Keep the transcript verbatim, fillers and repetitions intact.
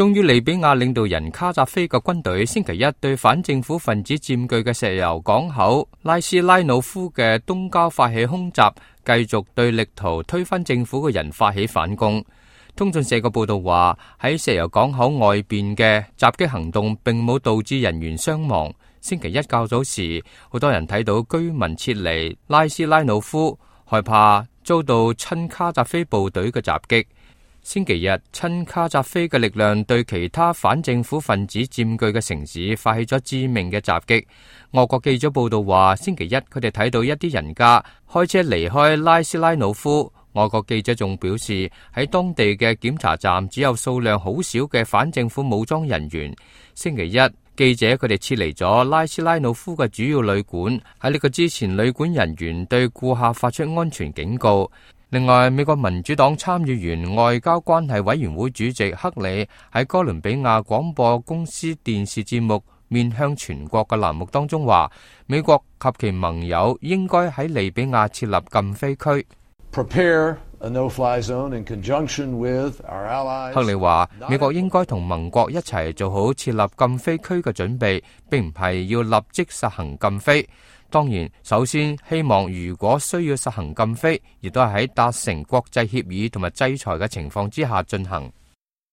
終於，利比亞領導人卡扎菲嘅軍隊星期一對反政府分子佔據嘅石油港口拉斯拉努夫嘅東郊發起空襲，繼續對力圖推翻政府嘅人發起反攻。通訊社嘅報道話，喺石油港口外邊嘅襲擊行動並冇導致人員傷亡。星期一較早時，好多人睇到居民撤離拉斯拉努夫，害怕遭到親卡扎菲部隊嘅襲擊。星期日，親卡扎菲嘅力量對其他反政府分子佔據嘅城市發起咗致命嘅襲擊。俄國記者報道話，星期一佢哋睇到一啲人家開車離開拉斯拉努夫。外國記者仲表示，喺當地嘅檢查站只有數量好少嘅反政府武裝人員。星期一，記者佢哋撤離咗拉斯拉努夫嘅主要旅館。喺呢個之前，旅館人員對顧客發出安全警告。另外，美國民主黨參議員外交關係委員會主席克里喺哥倫比亞廣播公司電視節目面向全國嘅欄目當中話，美國及其盟友應該喺利比亞設立禁飛區。Prepare a no-fly zone in conjunction with our allies. 克里話，美國應該同盟國一齊做好設立禁飛區嘅準備，並唔係要立即實行禁飛。當然，首先希望如果需要實行禁飛，亦都係喺達成國際協議同埋制裁嘅情況之下進行。